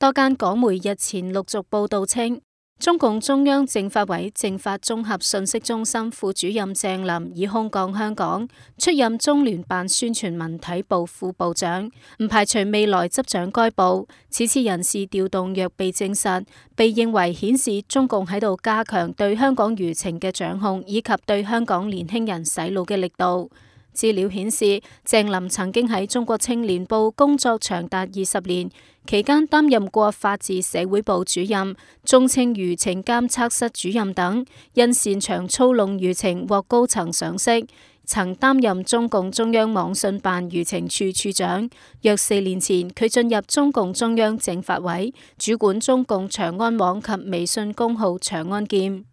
多間港媒日前陸續報道稱，中共中央政法委政法綜合信息中心副主任鄭林已空降香港，出任中聯辦宣傳文體部副部長，唔排除未來執掌該部。此次人事調動若被證實，被認為顯示中共喺度加強對香港輿情嘅掌控，以及對香港年輕人洗腦嘅力度。資料顯示，鄭林曾經喺中國青年報工作長達20年，期間擔任過法治社會部主任、中青輿情監測室主任等，因擅長操弄輿情獲高層賞識。曾擔任中共中央網信辦輿情處處長。約4年前，佢進入中共中央政法委，主管中共長安網及微信公號長安劍。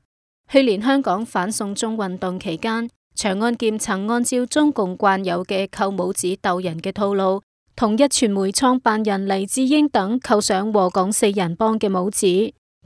去年香港反送中運動期間，長安劍曾按照中共慣有嘅扣帽子鬥人嘅套路，同壹傳媒創辦人黎智英等扣上禍港4人幫嘅帽子，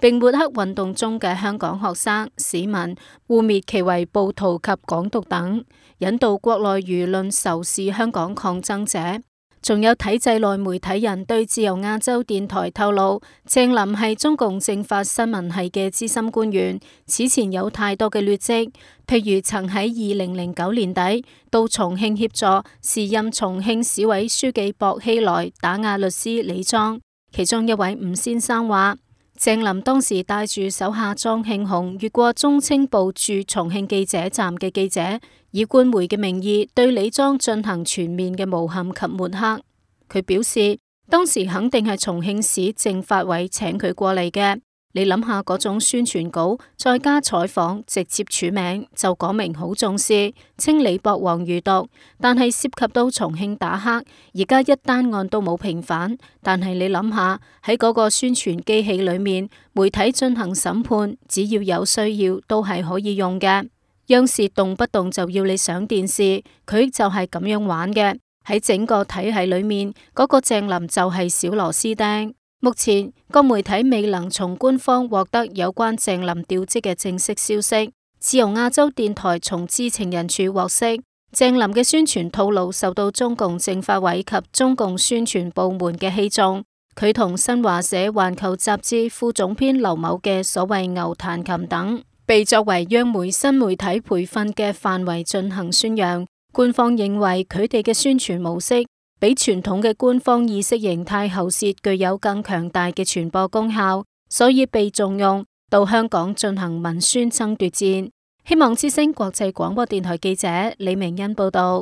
並抹黑運動中嘅香港學生、市民，污衊其為暴徒及港獨等，引導國內輿論仇視香港抗爭者。仲有體制內媒體人對自由亞洲電台透露，鄭林係中共政法新聞系嘅資深官員，此前有太多嘅劣跡，譬如曾喺2009年底到重慶協助時任重慶市委書記薄熙來打壓律師李莊。其中一位吳先生話，鄭林當時帶住手下莊慶紅越過中青報駐重慶記者站嘅記者，以官媒嘅名義對李莊進行全面嘅誣陷及抹黑。佢表示，當時肯定係重慶市政法委請佢過嚟嘅。你諗下嗰種宣傳稿，再加採訪，直接署名，就講明好重視，稱李博王餘毒。但係涉及到重慶打黑，而家一單案都冇平反。但係你諗下喺嗰個宣傳機器裏面，媒體進行審判，只要有需要都係可以用嘅。央視動不動就要你上電視，佢就係咁樣玩嘅。喺整個體系裏面，嗰個鄭林就係小螺絲釘。目前各媒體未能從官方獲得有關鄭林調職嘅正式消息。自由亞洲電台從知情人處獲悉，鄭林嘅宣傳套路受到中共政法委及中共宣傳部門嘅器重。佢同新華社環球雜誌副總編劉某嘅所謂牛彈琴等，被作為央媒新媒體培訓嘅範圍進行宣揚。官方認為佢哋嘅宣傳模式比傳統嘅官方意識形態喉舌具有更強大嘅傳播功效，所以被重用到香港進行文宣爭奪戰。希望之聲國際廣播電台記者李明恩報道。